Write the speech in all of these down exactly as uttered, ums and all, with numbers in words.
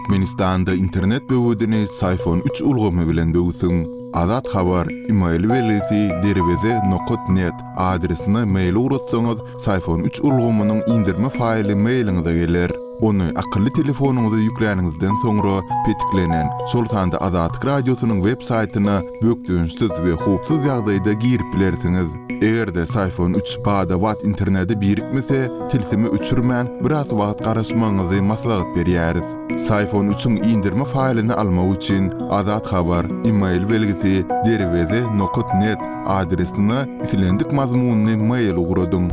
Türkmenistanda internet böwedini Syfon üç ulgamy bilen böwsüň. Azat Habar, email belgisi derweze nokat net adresine mail ugratsaňyz, Syfon üç ulgamynyň indirme faýly mailiňize geler. Ony akylly telefonyňyza ýükläniňizden soňra petiklenen, şol sanda Azatlyk radiosynyň web saýtyna bökdençsiz we howpsuz ýagdaýda girip bilersiňiz. Eger-de Syfon üç bada-bat internete birikmese, tilsimi öçürmän biraz wagt garaşmagyňyzy maslahat berýäris. Syfon üçiň indirme faýlyny almak üçin Azat Habar, email belgisi derweze nokat net adresine islendik mazmunyny mail ugradyň.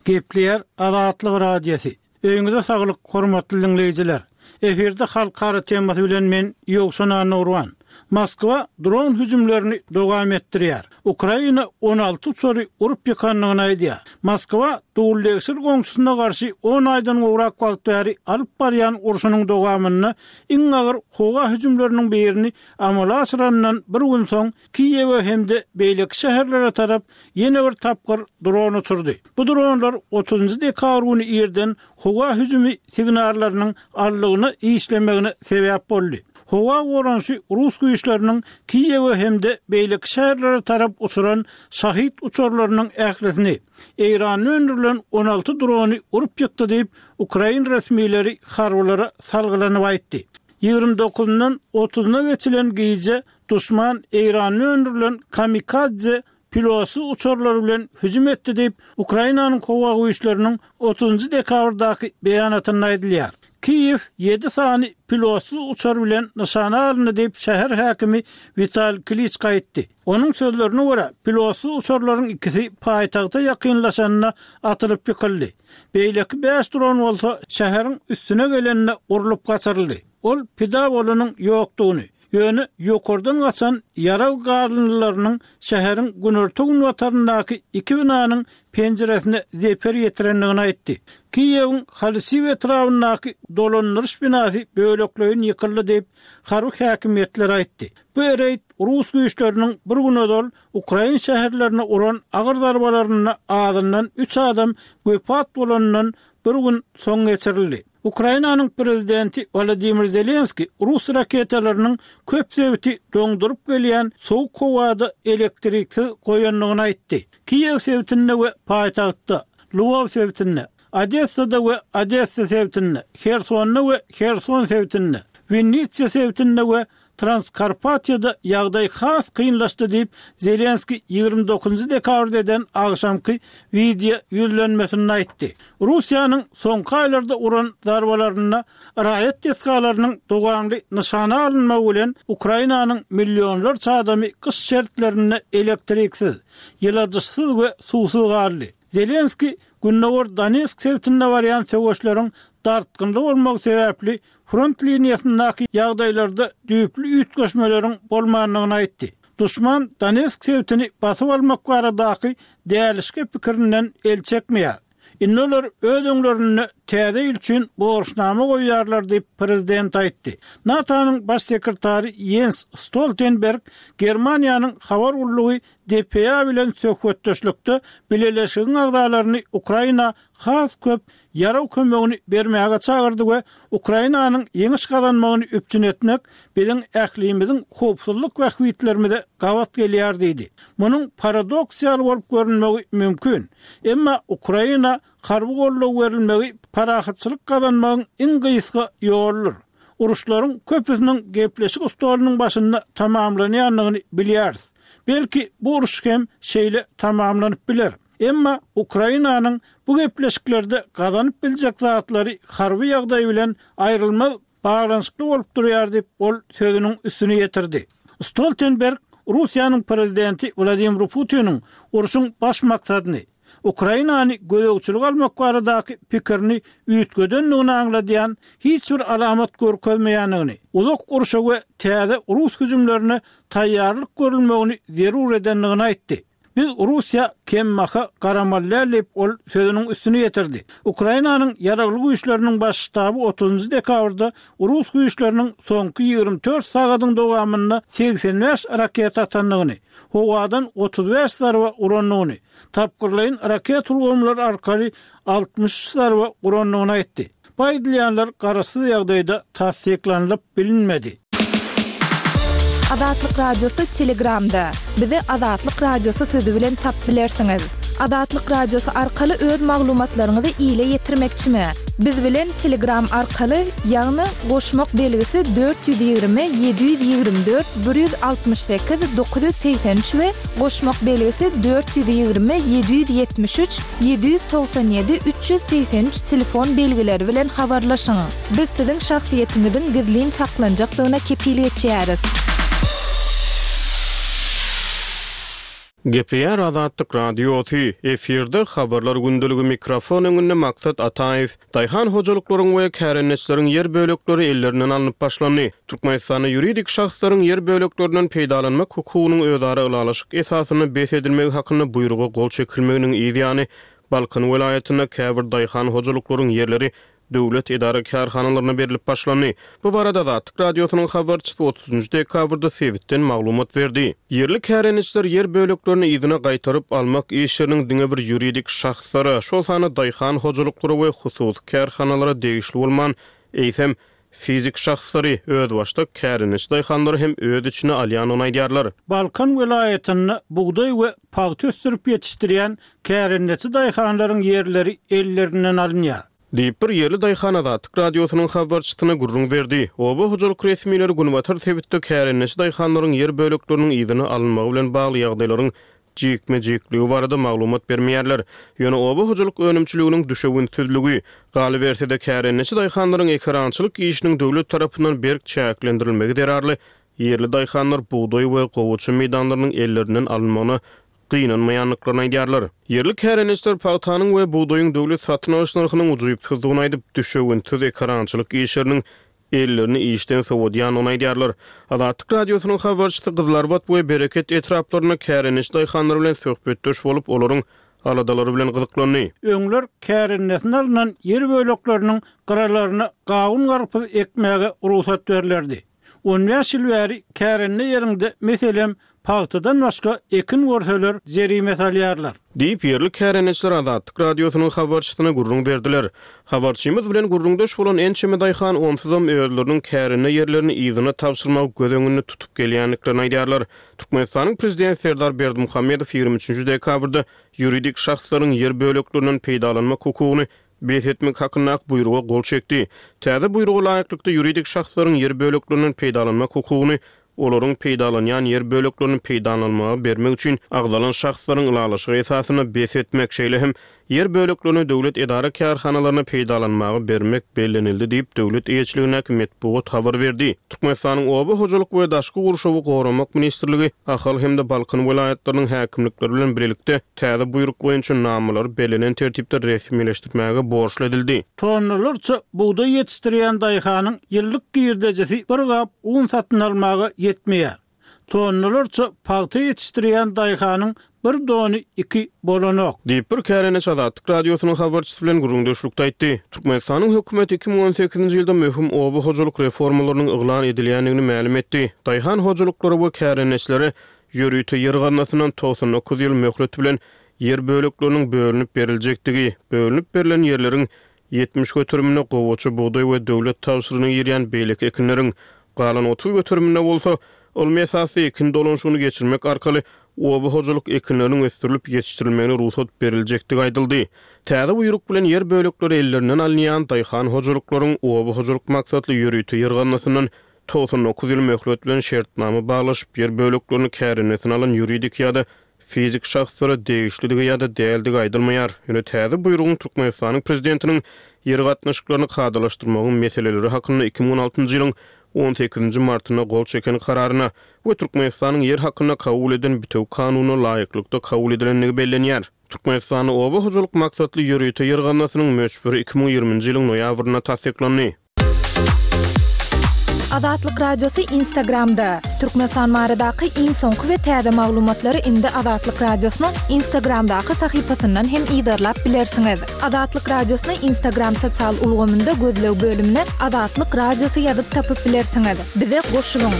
Gepleýär Azatlyk Radiosy. Öýüňize saglyk, hormatly dinleýjiler. Efirde halkara temasy bilen men Ýowşan Anurwan. Moskwa dron hüjümlerini dowam etdirýär. Ukraina on alty uçary urup ýykandygyny aýdýar. Moskwa dowul-degşir goňşusyna garşy on aýdan gowrak wagt bäri alyp barýan urşunyň dowamynda iň agyr howa hüjümleriniň birini amala aşyrandan bir gün soň Kiýewe hem-de beýleki şäherlere tarap ýene bir tapgyr dron uçurdy. Bu dronlar otuzynjy dekabr güni irden howa hüjümi signallarynyň allygyna işlemegine sebäp boldy. Howa goranyşy Rus güýçleriniň Kiýewe hem-de beýleki şäherlere tarap uçuran şahid uçarlarynyň ählisini Eýranda öndürilen on alty drony urup ýykdy diýip, Ukrain resmileri harbylara salgylanyp aýtdy. Ýigrimi dokuzyndan otuzyna geçilen gije duşman Eýranda öndürilen kamikadze pilotsyz uçarlar bilen hüjüm etdi diýip, Ukrainanyň howa güýçleriniň otuzynjy dekabrdaky beýanatynda aýdylýar. Kiýew ýedi sany pilotsyz uçar bilen nyşana alyndy diýip, şäher häkimi Wital Kliçko aýtdy. Onuň sözlerine görä, pilotsyz uçarlaryň ikisi paýtagta ýakynlaşanda atylyp ýykyldy. Beýleki bäş dron bolsa şäheriň üstüne gelende urlup gaçyryldy. Ol pida bolanyň ýokdugyny, ýöne ýokardan gaçan ýarag garyndylarynyň şäheriň günorta günbataryndaky iki binanyň penjiresine zeper ýetirendigini aýtdy. Kiýewiň Halisiw etrabyndaky dolandyryş binasy bölekleýin ýykyldy diýip, harby häkimiýetler aýtdy. Bu reýd Rus güýçleriniň bir gün ozal Ukrain şäherlerine uran agyr zarbalarynda azyndan üç adam wepat bolandan bir gün soň geçirildi. Ukrainanyň prezidenti Wladimir Zelenski Rus raketalarynyň köp sebiti doňduryp gelýän soğuk howada elektriksiz goýandygyny aýtdy. Kiýew sebitinde we paýtagtda, Lwow sebitinde, Odessada we Odessa sebitinde, Hersonda we Herson sebitinde, Winnitsiýa sebitinde we Transkarpatiýada ýagdaý has kynlaşdy diýip, Zelenski ýigrimi dokuzynjy dekabrda eden agşamky wideo ýüzlenmesinde aýtdy. Russiýanyň soňky aýlarda uran zarbalarynda raýat desgalarynyň dowamly nyşana alynmagy bilen Ukrainanyň millionlarça adamy gyş şertlerinde elektriksiz, ýyladyşsyz we suwsuz galdy. Zelenski Gündogar Donetsk sebitinde barýan söweşleriň dartgynly bolmagy sebäpli front liniýasyndaky ýagdaýlarda düýpli üýtgeşmeleriň bolmandygyny aýtdy. Duşman Donetsk sebitini basyp almak baradaky dälişki pikirinden el çekmeýär. Indi olar öz öňlerinde täze ýyl üçin borçnama goýýarlar diýip prezident aýtdy. NATO-nyň baş sekretary Jens Stoltenberg Germaniýanyň habar gullugy D P A bilen söhbetdeşlikde bileleşigiň agzalaryny Ukraina has köp ýarag kömegini bermäge çagyrdy we Ukrainanyň ýeňiş gazanmagyny üpjün etmek biziň ählimiziň howpsuzlyk bähbitlerimize gabat gelýär diýdi. Munuň paradoksal bolup görünmegi mümkin. Emma Ukraina harby goldaw berilmegi parahatçylyk gazanmagyň iň gysga ýoludyr. Uruşlaryň köpüsiniň gepleşik stolunyň başynda tamamlanýandygyny bilýäris. Belki bu uruş hem şeýle tamamlanyp biler. Emma Ukrainanyň bu gepleşiklerde gazanyp biljek zatlary harby ýagdaý bilen aýrylmaz baglanyşykly bolup durýar diýip, ol sözüniň üstüni ýetirdi. Stoltenberg Russiýanyň prezidenti Wladimir Putiniň urşuň baş maksadyny Ukrainany gözegçilik almak baradaky pikirini üýtgedendigini aňladýan hiç bir alamat görkezmeýändigini, uzak urşa we täze rus hüjümlerine taýýarlyk görülmegini zerur edendigini aýtdy. Biz Russiýa kembaha garamaly däl diýip, ol sözüniň üstüni ýetirdi. Ukrainanyň Ýaragly Güýçleriniň Baş ştaby otuzynjy dekabrda rus güýçleriniň soňky ýigrimi dört sagadyň dowamynda segsen bäş raketa atandygyny, howadan otuz bäş zarba urandygyny, tapgyrlaýyn raket ulgamlary arkaly altmyş üç zarba urandygyny aýtdy. Bu aýdylýanlar garaşsyz ýagdaýda tassyklanylyp bilinmedi. Azatlyk Radiosy Telegramda. Bizi Azatlyk Radiosy sözi bilen tapyp bilersiňiz. Azatlyk Radiosy arkaly öz maglumatlaryňyzy ile ýetirmekçimi? Biz bilen Telegram arkaly, ýagny goşmak belgisi dört ýüz ýigrimi ýedi ýüz ýigrimi dört bir ýüz altmyş sekiz dokuz ýüz segsen üç we goşmak belgisi dört ýüz ýigrimi ýedi ýüz ýetmiş üç ýedi ýüz togsan ýedi üç ýüz segsen üç telefon belgileri bilen habarlaşyň. Biz siziň şahsyýetiňiziň gizlin saklanjakdygyna kepil geçýäris. Gepleýär Azatlyk Radiosy, efirde Habarlar gündeligi mikrofon öňünde Maksat Ataýew. Daýhan hojalyklaryň we kärendeçileriň ýer bölekleri ellerinden alnyp başlandy. Türkmenistanda ýuridik şahslaryň ýer böleklerinden peýdalanmak hukugynyň özara ylalaşyk esasynda bes edilmegi hakynda buýruga gol çekilmeginiň yz ýany Balkan welaýatynda käbir daýhan hojalyklaryň ýerleri döwlet edara-kärhanalaryna berlip başlandy. Bu barada Azatlyk Radiosynyň habarçysy otuzynjy dekabrda sebitden maglumat berdi. Ýerli kärendeçiler ýer böleklerini yzyna gaýtaryp almak işleriniň diňe bir ýuridik şahslara, şol sanda daýhan hojalyklara we hususy kärhanalara degişli bolman, eýsem, fizik şahslary, özbaşdak kärendeçi daýhanlary hem öz içine alýandygyny aýdýarlar. Balkan welaýatynda bugdaý we pagta ösdürip ýetişdirýän kärendeçi daýhanlaryň ýerleri ellerinden alynýar. Diýip, bir ýerli daýhan Azatlyk Radiosynyň habarçysyna gürrüň berdi. Oba hojalyk resmileri günbatar sebitde kärendeçi daýhanlaryň ýer bölekleriniň yzyna alynmagy bilen bagly ýagdaýlaryň jikme-jikligi barada maglumat bermeýärler. Ýöne oba hojalyk önümçiliginiň düşewüntsizligi, galyberse-de kärendeçi daýhanlaryň ekerançylyk işiniň döwlet tarapyndan berk çäklendirilmegi zerarly ýerli daýhanlar bugdaý we gowaça meýdanlarynyň ellerinden alynmagyna gynanmaýandyklaryny aýdýarlar. Ýerli kärendeçiler pagtanyň we bugdaýyň döwlet satyn alyş nyrhynyň ujypsyzdygyny aýdyp, düşewüntsiz ekerançylyk işleriniň ellerini işden sowadýandygyny aýdýarlar. Azatlyk Radiosynyň habarçysy Gyzylarbat we Bereket etraplarynda kärendeçi daýhanlar bilen söhbetdeş bolup, olaryň aladalary bilen gyzyklandy. Öňler kärendesine alnan ýer bölekleriniň gyralaryna gawun-garpyz ekmäge rugsat berlerdi. On bäş ýyl bäri kärende ýeriňde, meselem, pagtadan başga ekin görseler jerime salýarlar. Diýip, ýerli kärendeçiler Azatlyk Radiosynyň habarçysyna gürrüň berdiler. Habarçymyz bilen gürrüňdeş bolan ençeme daýhan onsuzam özleriniň kärende ýerlerini yzyna tabşyrmagy göz öňünde tutup gelýändiklerini aýdýarlar. Türkmenistanyň Prezidenti Serdar Berdimuhamedow ýigrimi üçünji dekabrda ýuridik şahslaryň ýer böleklerinden peýdalanmak hukugyny bes etmek hakyndaky buýruga gol çekdi. Täze buýruga laýyklykda ýuridik şahslaryň ýer böleklerinden peýdalanmak hukugyny olaryň peýdalanýan ýer böleklerini peýdalanmaga bermek üçin agzalan şahslaryň ylalaşygy esasynda bes etmek, şeýle hem ýer böleklerini döwlet edara-kärhanalaryna peýdalanmaga bermek bellenildi diýip, döwlet eýeçiligindäki metbugat habar berdi. Türkmenistanyň Oba hojalyk we daşky gurşawy goramak ministrligi Ahal hem-de Balkan welaýatlarynyň häkimlikleri bilen birlikde täze buýruk boýunça namalary bellenen tertipde resmileşdirmäge borçly edildi. Tonnalarça bugdaý ýetişdirýän daýhanyň ýyllyk girdejisi bir gap un satyn almaga ýetmeýär. Tonnalarça pagta ýetişdirýän daýhanyň bir dony iki bolanok. Diýip, bir kärendeçi Azatlyk Radiosynyň habarçysy bilen gürrüňdeşlikde aýtdy. Türkmenistanyň hökümeti iki müň on sekizinji ýylda möhüm oba hojalyk reformalarynyň yglan edilýändigini mälim etdi. Daýhan hojalyklary we kärendeçilere ýörite ýer gaznasyndan togsan dokuz ýyl möhlet bilen ýer bölekleriniň bölünip beriljekdigi, bölünip berlen ýerleriň ýetmiş göteriminde gowaça, bugdaý we döwlet tabşyrygyna girýän beýleki ekinleriň, galan otuz göteriminde bolsa ylmy esasda ekin dolanyşygyny geçirmek arkaly oba hojalyk ekinleriniň ösdürilip ýetişdirilmegine rugsat beriljekdigi aýdyldy. Täze buýruk bilen ýer bölekleri ellerinden alynýan daýhan hojalyklaryň oba hojalyk maksatly ýörite ýer gaznasyndan togsan dokuz ýyl möhlet bilen şertnama baglaşyp, ýer böleklerini kärendesine alan ýuridik ýa-da fizik şahslara degişlidigi ýa-da däldigi aýdylmaýar. Ýöne täze buýrugyň Türkmenistanyň Prezidentiniň ýer gatnaşyklaryny kadalaşdyrmagyň meseleleri hakynda iki müň on altynjy ýylyň on sekizinji martynda gol çeken kararyna we Türkmenistanyň ýer hakynda kabul eden bitewi kanunyna laýyklykda kabul edilendigi bellenýär. Türkmenistanda oba hojalyk maksatly ýörite ýer gaznasynyň möçberi iki müň ýigriminji ýylyň noýabrynda tassyklandy. Azatlyk Radiosy Instagramda. Türkmenistan baradaky iň soňky we täze maglumatlary indi Azatlyk Radiosynyň Instagramdaky sahypasyndan hem yzarlap bilersiňiz. Azatlyk Radiosyny Instagram sosial ulgamynda gözleg bölümine Azatlyk Radiosy ýazyp tapyp bilersiňiz. Bize goşulyň.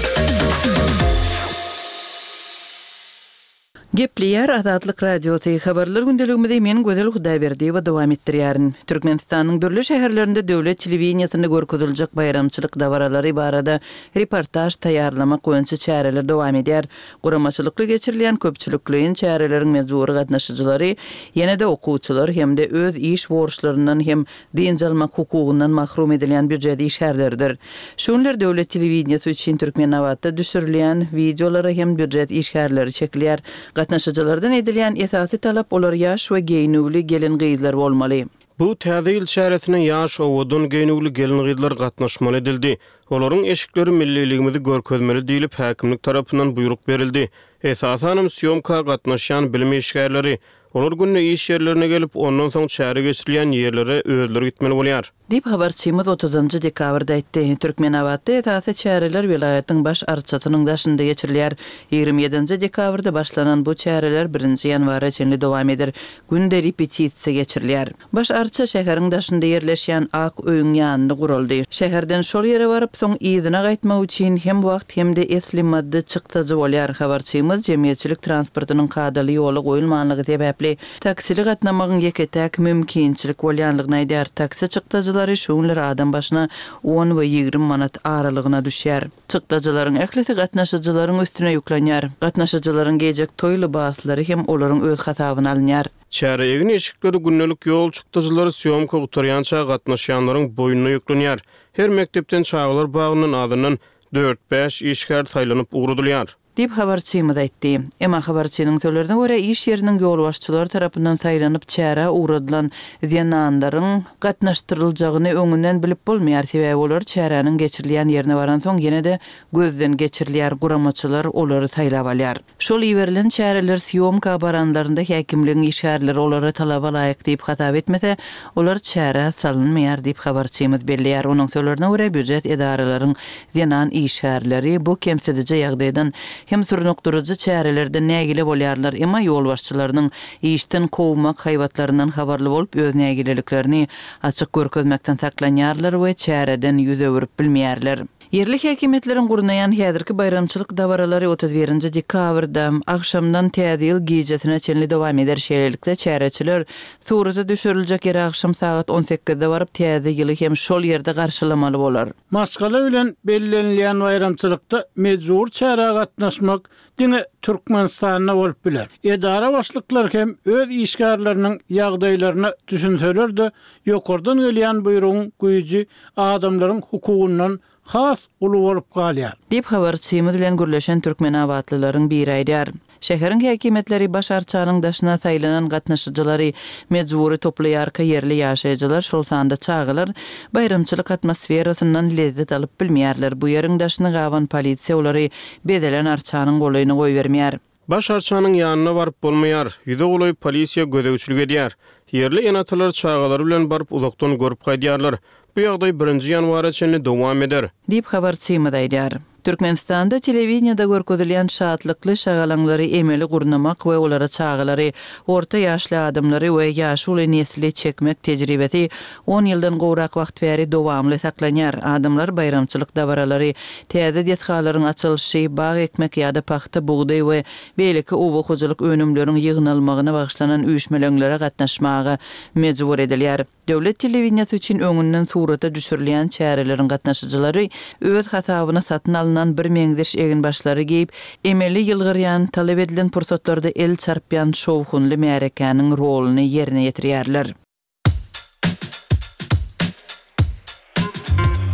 Gepleýär Azatlyk Radiosy. Habarlar gündeligimizi men Gözel Hudaýberdiýewa dowam etdirýärin. Türkmenistanyň dürli şäherlerinde döwlet telewideniýesinde görkeziljek baýramçylyk dabaralary barada reportaž taýýarlamak boýunça çäreler dowam edýär. Guramaçylykly geçirilýän köpçülikleýin çäreleriň mejbury gatnaşyjylary ýene-de okuwçylar hem-de öz iş borçlaryndan hem dynç almak hukugyndan mahrum edilýän býujet işgärleridir. Şu günler döwlet telewideniýesi üçin Türkmenabatda düşürilýän wideolara hem býujet işgärleri çekilýär. Gatnaşyjylardan edilýän esasy talap olar ýaş we geýnüwli gelin-gyzlar bolmaly. Bu täze ýyl çäresine ýaş owadan geýnüwli gelin-gyzlar gatnaşmaly edildi. Olaryň eşikleri milliligimizi görkezmeli diýlip häkimlik tarapyndan buýruk berildi. Esasanam sýomka gatnaşýan bilim işgärleri. Olar günde iş ýerlerine gelip, ondan soň çäre geçirilýän ýerlere özleri gitmeli bolýar. Diýip habarçymyz otuzynjy dekabrda aýtdy. Türkmenabatda esasy çäreler welaýatyň baş arçasynyň daşynda geçirilýär. Ýigrimi ýedinji dekabrda başlanan bu çäreler birinji ýanwara çenli dowam eder. Günde repetisiýa geçirilýär. Baş arça şäheriň daşynda ýerleşýän Ak öýüň ýanynda guraldy. Şäherden şol ýere baryp, soň yzyna gaýtmak üçin hem wagt hem-de esli maddy çykdajy bolýar. Habarçymyz jemgyýetçilik transportynyň kadaly ýola goýulmanlygy sebäpli taksili gatnamagyň ýeke-täk mümkinçilik bolýanlygyny aýdýar. Taksi çykdajylary şu günler adam başyna on we ýigrimi manat aralygyna düşýär. Çykdajylaryň ählisi gatnaşyjylaryň üstüne ýüklenýär. Gatnaşyjylaryň geýjek toý lybaslary hem olaryň öz hasabyna alynýar. Çäre egin eşikleri gündelik ýol çykdajylary sýomka gutarýança gatnaşýanlaryň boýnuna ýüklenýär. Her mekdepden çagalar bagyndan azyndan dört-bäş işgär saýlanyp ugradylýar. Diýip habarçymyz aýtdy. Emma habarçynyň sözlerine görä iş ýeriniň ýolbaşçylary tarapyndan saýlanyp çärä ugradylan zenanlaryň gatnaşdyryljagyny öňünden bilip bolmaýar. Sebäbi olar çäräniň geçirilýän ýerine baransoň ýene-de gözden geçirilýär, guramaçylar olary saýlap alýar. Şol iberilen çäreler sýomka baranlarynda häkimligiň işgärleri olara talaba laýyk diýip hasap etmese, olar çärä salynmaýar diýip habarçymyz belleýär. Onuň sözlerine görä býujet edaralaryň zenan işgärleri bu kemsidiji ýagdaýdan hem sürnükdirici çärelerden nägile bolýarlar, emma ýolbaşçylarynyň işden kowmak haýbatlaryndan habarly bolup öz nägileliklerini açyk görkezmekden saklanýarlar we çäreden ýüz öwürip bilmeýärler. Ýerli häkimiýetleriň gurnaýan häzirki baýramçylyk dabaralary otuz birinji dekabrda agşamdan täze ýyl gijesine çenli dowam eder. Şeýlelikde çäreçiler surata düşüriljek ýere agşam sagat on sekizde baryp täze ýyly hem şol ýerde garşylamaly bolar. Maşgala bilen bellenilýän baýramçylykda mejbur çärä gatnaşmak diňe Türkmenistanda bolup biler. Edara başlyklar hem öz işgärleriniň ýagdaýlaryna düşünseler-de, ýokardan gelýän buýrugyň güýji adamlaryň hukugyndan has uly bolup galýar. Diýip habarçymyz bilen gürleşen Türkmenabatlylaryň biri aýdýar. Şäheriň häkimiýetleri baş arçanyň daşyna saýlanan gatnaşyjylary mejbury toplaýarka ýerli ýaşaýjylar, şol sanda çagalar baýramçylyk atmosferasyndan lezzet alyp bilmeýärler. Bu ýeriň daşyny gaban polisiýa olary bezelen arçanyň golaýyny goýbermeýär. Baş arçanyň ýanyna baryp bolmaýar. Ýüze golaý polisiýa gözegçilik edýär. Ýerli enatalar çagalary bilen baryp uzakdan görüp gaýdýarlar. Bu ýagdaý birinji ýanwara çenli dowam eder. Diýip habarçymyz aýdýar. Türkmenistanda telewideniýede görkezilýän şatlykly şagalaňlary emeli gurnamak we olara çagalary, orta ýaşly adamlary we ýaşuly nesli çekmek tejribesi on ýyldan gowrak wagt bäri dowamly saklanýar. Adamlar baýramçylyk dabaralary, täze desgalaryň açylyşy, bag ekmek ýa-da pagta, bugdaý we beýleki oba hojalyk önümleriniň ýygnalmagyna bagyşlanan üýşmeleňlere gatnaşmaga mejbur edilýär. Döwlet telewideniýesi üçin öňünden surata düşürilýän çäreleriň gatnaşyjylary öz hasabyna satyn alynan bir meňzeş eginbaşlary geýip, emeli ýylgyrýan, talap edilen pursatlarda el çarpýan şowhunly märekäniň roluny ýerine ýetirýärler.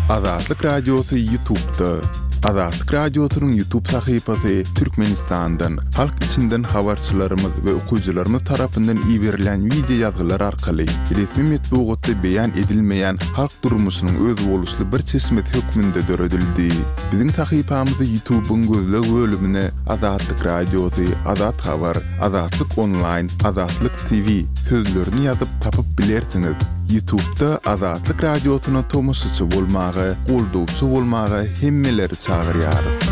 Azatlyk Radiosy YouTube'da. Azatlyk Radiosynyň YouTube sahypasy Türkmenistandan, halk içinden habarçylarymyz we okyjylarymyz tarapyndan iberilen video ýazgylar arkaly resmi metbugatda beýan edilmeýän halk durmuşynyň özboluşly bir çeşmesi hökmünde döredildi. Biziň sahypamyzy YouTube'yň gözleg bölümine Azatlyk Radiosy, Azat Habar, Azatlyk Online, Azatlyk T V sözlerini ýazyp tapyp bilersiňiz. Ýutubda Azatlyk Radiosyna tomaşaçy bolmaga, goldawçy bolmaga hemmeleri çagyrýarys.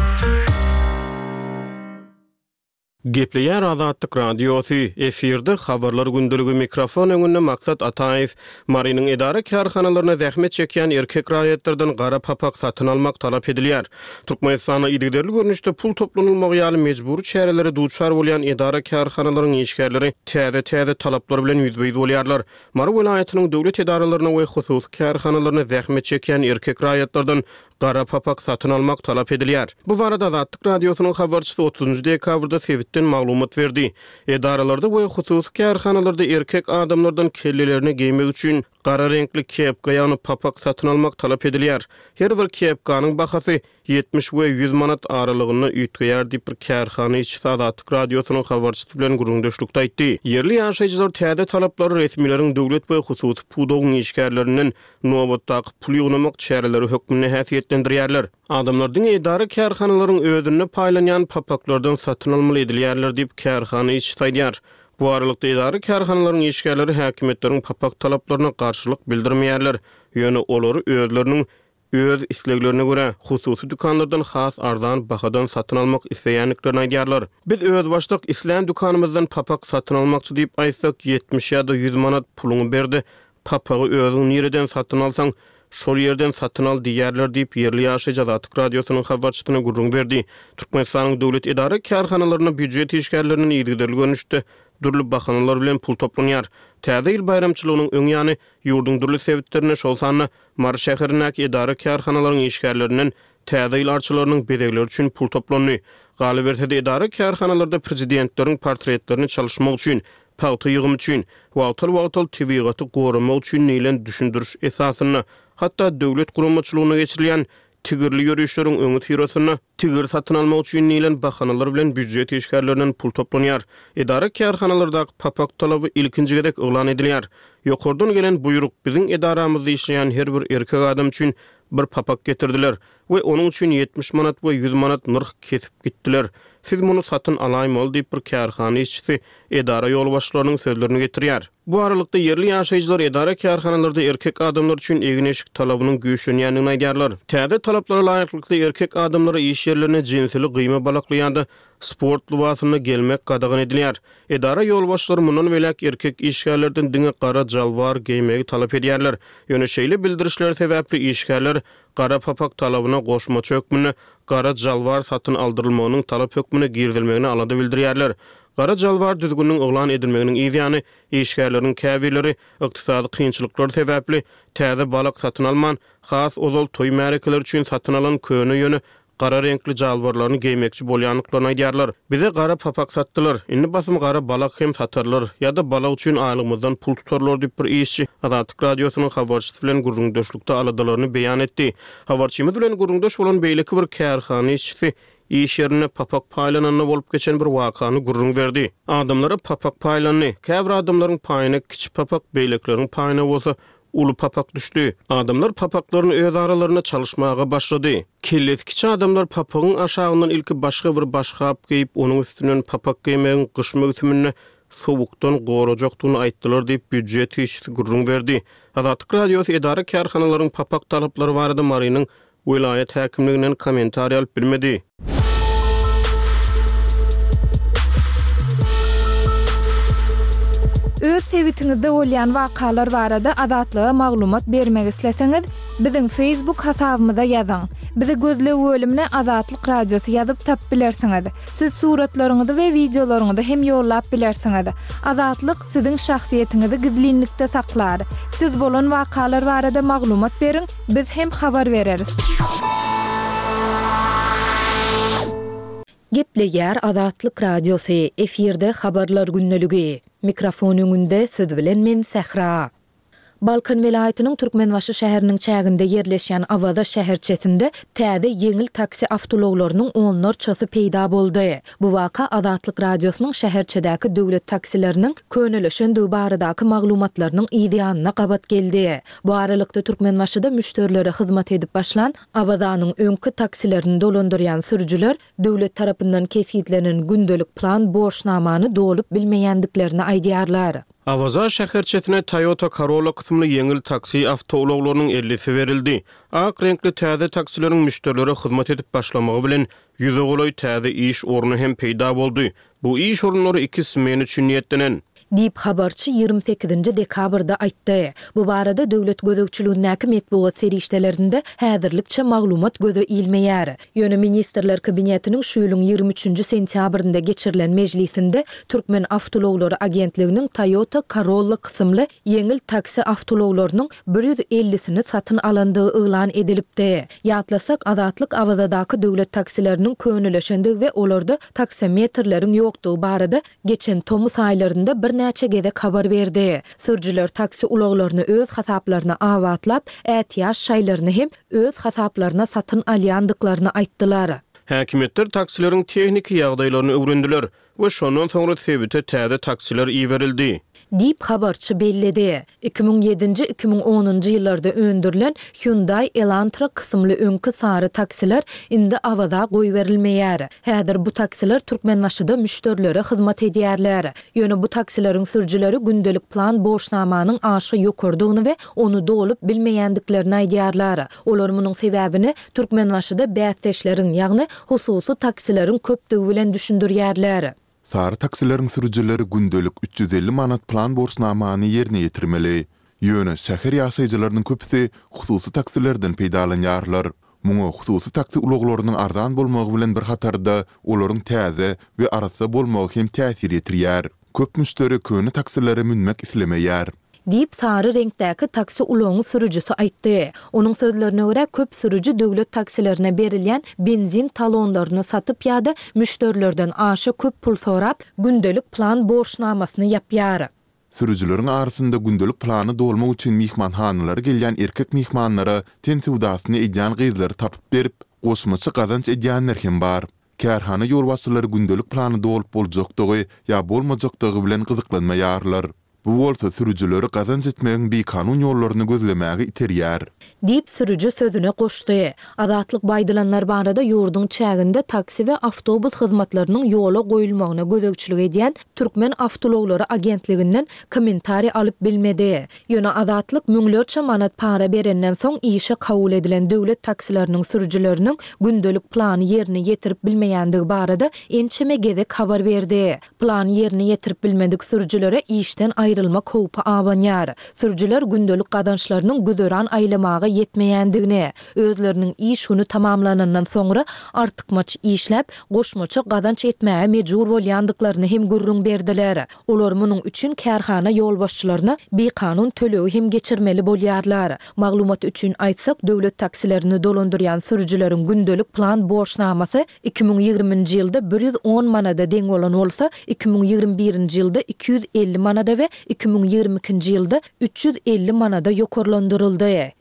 Gepleýär Azatlyk Radiosy, efirde Habarlar gündeligi, mikrofon öňünde Maksat Ataýew. Marynyň edara-kärhanalarynda zähmet çekýän erkek raýatlardan gara papak satyn almak talap edilýär. Türkmenistanda yzygiderli görnüşde pul toplanylmagy ýaly mejbury çärelere duçar bolýan edara-kärhanalaryň işgärleri täze-täze talaplar bilen ýüzbe-ýüz bolýarlar. Mary welaýatynyň döwlet edaralarynda we hususy kärhanalarynda zähmet çekýän erkek raýatlardan gara papak satyn almak talap edilýär. Bu barada Azatlyk Radiosynyň habarçysy otuzynjy dekabrda sebitden maglumat berdi. Edaralarda we hususy kärhanalarda erkek adamlardan kellelerine geýmek üçin gara reňkli kepka, ýagny papak satyn almak talap edilýär. Her bir kepkanyň bahasy ýetmiş we ýüz manat aralygynda üýtgeýär diýip, bir kärhana işçisi Azatlyk Radiosynyň habarçysy bilen gürrüňdeşlikde aýtdy. Ýerli ýaşaýjylar täze talaplary resmileriň döwlet we hususy pudagyň işgärlerinden nobatdaky pul ýygnamak çäreleri hökmünde häsiýetlendirýärler. Adamlar diňe edara-kärhanalaryň özünde paýlanýan papaklardan satyn almaly edilýärler diýip, kärhana işçisi aýdýar. Bu aralykda, edara-kärhanalaryň işgärleri häkimiýetleriň papak talaplaryna garşylyk bildirmeýärler, ýöne olary özleriniň öz isleglerine görä, hususy dükanlardan has arzan bahadan satyn almak isleýändiklerini aýdýarlar. Biz özbaşdak islän dükanymyzdan papak satyn almakçy diýip aýtsak, ýetmiş ýa-da ýüz manat puluňy ber-de, papagy özüň nireden satyn alsaň, şol ýerden satyn al diýýärler diýip, ýerli ýaşaýjy Azatlyk Radiosynyň habarçysyna gürrüň berdi. Türkmenistanyň döwlet edara-kärhanalarynda býujet işgärlerinden yzygiderli görnüşde dürli bahanalar bilen pul toplanýar. Täze ýyl baýramçylygynyň öň ýany ýurduň dürli sebitlerinde, şol sanda Mary şäherindäki edara-kärhanalaryň işgärlerinden Täze ýyl arçalarynyň bezegleri üçin pul toplandy. Galyberse-de, edara-kärhanalarda prezidentleriň portretlerini çalyşmak üçin, pagta ýygymy üçin, wagtal-wagtal tebigaty goramak üçin diýlen düşündiriş esasynda, hatda döwlet guramaçylygynda geçirilýän tigirli ýörişleriň öňüsyrasynda tigir satyn almak üçin diýlen bahanalar bilen býujet işgärlerinden pul toplanýar. Edara-kärhanalardaky papak talaby ilkinji gezek yglan edilýär. Ýokardan gelen buýruk, biziň edaramyzda işleýän her bir erkek adam üçin bir papak getirdiler we onuň üçin ýetmiş manat we ýüz manat nyrh kesip gitdiler. Siz muny satyn alaýmaly diýip, bir kärhana işçisi edara ýolbaşçylarynyň sözlerini getirýär. Bu aralykda, ýerli ýaşaýjylar edara-kärhanalarda erkek adamlar üçin egin-eşik talabynyň güýçlenýändigini aýdýarlar. Täze talaplara laýyklykda, erkek adamlara iş ýerlerine jinsili gyýma balakly ýa-da sport lybasynda gelmek gadagan edilýär. Edara ýolbaşçylary mundan beýläk erkek işgärlerden diňe gara jalbar geýmegi talap edýärler. Ýöne şeýle bildirişler sebäpli işgärler gara papak talabyna goşmaça hökmünde gara jalbar satyn aldyrylmagynyň talap hökmünde girizilmegine alada bildirýärler. Gara jalbar düzgüniniň yglan edilmeginiň yz ýany, işgärleriň käbirleri ykdysady kynçylyklar sebäpli täze balak satyn alman, has ozal toý märekeleri üçin satyn alan köne ýöne gara reňkli jalbarlaryny geýmekçi bolýandyklaryny aýdýarlar. Bize gara papak satdylar. Indi basym gara balak hem satarlar ýa-da balak üçin aýlygymyzdan pul tutarlar diýip, bir işçi Azatlyk Radiosynyň habarçysy bilen gürrüňdeşlikde aladalaryny beýan etdi. Habarçymyz bilen gürrüňdeş bolan beýleki bir kärhana işçisi iş ýerinde papak paýlananda bolup geçen bir wakany gürrüň berdi. Adamlara papak paýlandy. Käbir adamlaryň paýyna kiçi papak, beýlekileriň paýyna bolsa uly papak düşdi. Adamlar papaklaryny öz aralarynda çalyşmaga başlady. Kellesi kiçi adamlar papagyň aşagyndan ilki başga bir başgap geýip, onuň üstünden papak geýmegiň gyş möwsüminde sowukdan gorajakdygyny aýtdylar diýip, býujet işçisi gürrüň berdi. Azatlyk Radiosy edara-kärhanalaryň papak talaplary barada Marynyň welaýat häkimliginden kommentariý alyp bilmedi. Öz sebitiňizde bolýan wakalar barada Azatlyga maglumat bermek isleseňiz, biziň Facebook hasabymyza ýazyň. Bizi gözleg bölümine Azatlyk Radiosy ýazyp tapyp bilersiňiz. Siz suratlaryňyzy we wideolaryňyzy hem ýollap bilersiňiz. Azatlyk siziň şahsyýetiňizi gizlinlikde saklar. Siz bolan wakalar barada maglumat beriň, biz hem habar bereris. Gepleýär Azatlyk Radiosy, efirde Habarlar gündeligi. Mikrofon öňünde siz bilen men Sähra. Balkan welaýatynyň Türkmenbaşy şäheriniň çäginde ýerleşýän Awaza şäherçesinde täze ýeňil taksi awtoulaglarynyň onlarçasy peýda boldy. Bu waka Azatlyk Radiosynyň şäherçedäki döwlet taksileriniň könelişendigi baradaky maglumatlarynyň yz ýanyna gabat geldi. Bu aralykda Türkmenbaşyda müşderilere hyzmat edip başlan Awazanyň öňki taksilerini dolandyrýan sürüjiler döwlet tarapyndan kesgitlenen gündelik plan borçnamany dolup bilmeýändiklerini aýdýarlar. Awaza şäherçesine Toyota Corolla kysymly ýeňil taksi awtoulaglarynyň ellisi berildi. Ak reňkli täze taksileriň müşderilere hyzmat edip başlamagy bilen ýüze golaý täze iş orny hem peýda boldy. Bu iş orunlary iki smen üçin niýetlenen. Diýip, habarçy ýigrimi sekizinji dekabrda aýtdy. Bu barada döwlet gözegçiligindäki metbugat serişdelerinde häzirlikçe maglumat göze ilmeýär. Ýöne Ministrler Kabinetiniň şu ýylyň ýigrimi üçünji sentýabrynda geçirilen mejlisinde Türkmen awtoulaglary agentliginiň Toyota Corolla kysymly ýeňil taksi awtoulaglarynyň bir ýüz ellisini satyn alandygy yglan edilipdi. Ýatlasak, Azatlyk Awazadaky döwlet taksileriniň könelişendigi we olarda taksometrleriň ýokdugy barada geçen tomus aýlarynda birnäçe gezek habar berdi. Sürüjiler taksi ulaglaryny öz hasaplaryna abatlap, ätiýaç şaýlaryny hem öz hasaplaryna satyn alýandyklaryny aýtdylar. Häkimiýetler taksileriň tehniki ýagdaýlaryny öwrendiler we şondan soňra sebite täze taksiler iberildi. Diýip, habarçy belledi. Iki müň ýedinji, iki müň onunjy ýyllarda öndürilen Hyundai Elantra kysymly öňki sary taksiler indi Awaza goýberilmeýär. Häzir bu taksiler Türkmenbaşyda müşderilere hyzmat edýärler. Ýöne bu taksileriň sürüjileri gündelik plan borçnamanyň aşa ýokarydygyny we ony dolup bilmeýändiklerini aýdýarlar. Olar munuň sebäbini Türkmenbaşyda bäsdeşleriň, ýagny hususy taksileriň köpdügi bilen düşündirýärler. Sary taksileriň sürüjileri gündelik üç ýüz elli manat plan borçnamany ýerine ýetirmeli. Ýöne şäher ýaşaýjylarynyň köpüsi hususy taksilerden peýdalanýarlar. Muňa hususy taksi ulaglarynyň arzan bolmagy bilen bir hatarda olaryň täze we arassa bolmagy hem täsir ýetirýär. Köp müşderi köne taksilere münmek islemeýär. Diýip, sary reňkdäki taksi ulagyň sürüjisi aýtdy. Onuň sözlerine görä, köp sürüji döwlet taksilerine berilýän benzin talonlaryny satyp ýa-da müşderilerden aşa köp pul sorap, gündelik plan borçnamasyny ýapýar. Sürüjileriň arasynda gündelik plany dolmak üçin myhmanhanalara gelýän erkek myhmanlara ten söwdasyny edýän gyzlary tapyp berip, goşmaça gazanç edýänler hem bar. Kärhana ýolbaşçylary gündelik plany dolup boljakdygy ýa bolmajakdygy bilen gyzyklanmaýarlar. Bu bolsa sürüjileri gazanç etmegiň bikanun ýollaryny gözlemäge iterýär. Diýip, sürüji sözüne goşdy. Azatlyk bu aýdylanlar barada ýurduň çäginde taksi we awtobus hyzmatlarynyň ýola goýulmagyna gözegçilik edýän Türkmen awtoulaglary agentliginden kommentariý alyp bilmedi. Ýöne Azatlyk müňlerçe manat para berenden soň işe kabul edilen döwlet taksileriniň sürüjileriniň gündelik plany ýerine ýetirip bilmeýändigi barada ençeme gezek habar berdi. Plany ýerine ýetirip bilmedik sürüjilere işden aýrylmak howpy abanýar. Sürüjiler gündelik gazançlarynyň güzeran aýlamaga ýetmeýändigini, özleriniň iş güni tamamlanandan soňra artykmaç işläp, goşmaça gazanç etmäge mejbur bolýandyklaryny hem gürrüň berdiler. Olar munuň üçin kärhana ýolbaşçylaryna bikanun tölegi hem geçirmeli bolýarlar. Maglumat üçin aýtsak, döwlet taksilerini dolandyrýan sürüjileriň gündelik plan borçnamasy iki müň ýigriminji ýylda bir ýüz on manada deň bolan bolsa, iki müň ýigrimi birinji ýylda iki ýüz elli manada we iki müň ýigrimi ikinji ýylda üç ýüz elli manada ýokarlandyryldy.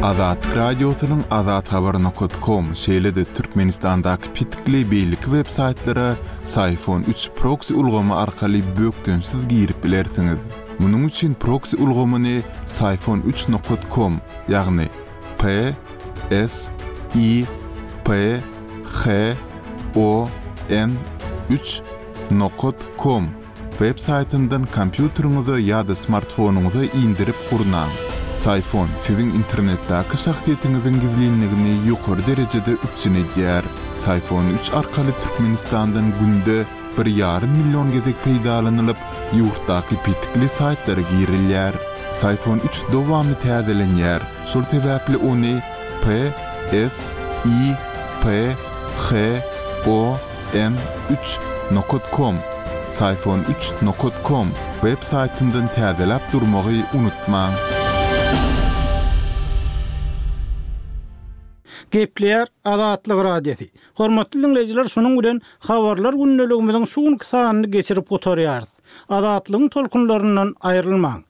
Azatlyk Radiosynyň azathabar nokat kom, şeýle-de Türkmenistandaky petikli beýleki web saýtlara Syfon üç proksi ulgamy arkaly bökdençsiz girip bilersiňiz. Munuň üçin proksi ulgamyny Syfon üç nokat kom, ýagny P S I P H O N üç nokat kom web saýtyndan kompýuteriňize ýa-da smartfonyňyza indirip gurnaň. Syfon siziň internetdäki şahsyýetiňiziň gizlinligini ýokary derejede üpjün edýär. Syfon üç arkaly Türkmenistandan günde bir ýarym million gezek peýdalanylyp, ýurtdaky petikli saýtlara girilýär. Syfon üç dowamly täzelenýär. Şol sebäpli ony P S I P H O N üç nokat kom, Syfon üç nokat kom web saýtyndan täzeläp durmagy unutmaň. Gepleýär Azatlyk Radiosy. Hormatly dinleýjiler, şunuň bilen habarlar gündeligimiziň şu günki sanyny geçirip gutarýarys. Azatlygyň tolkunlaryndan aýrylmaň.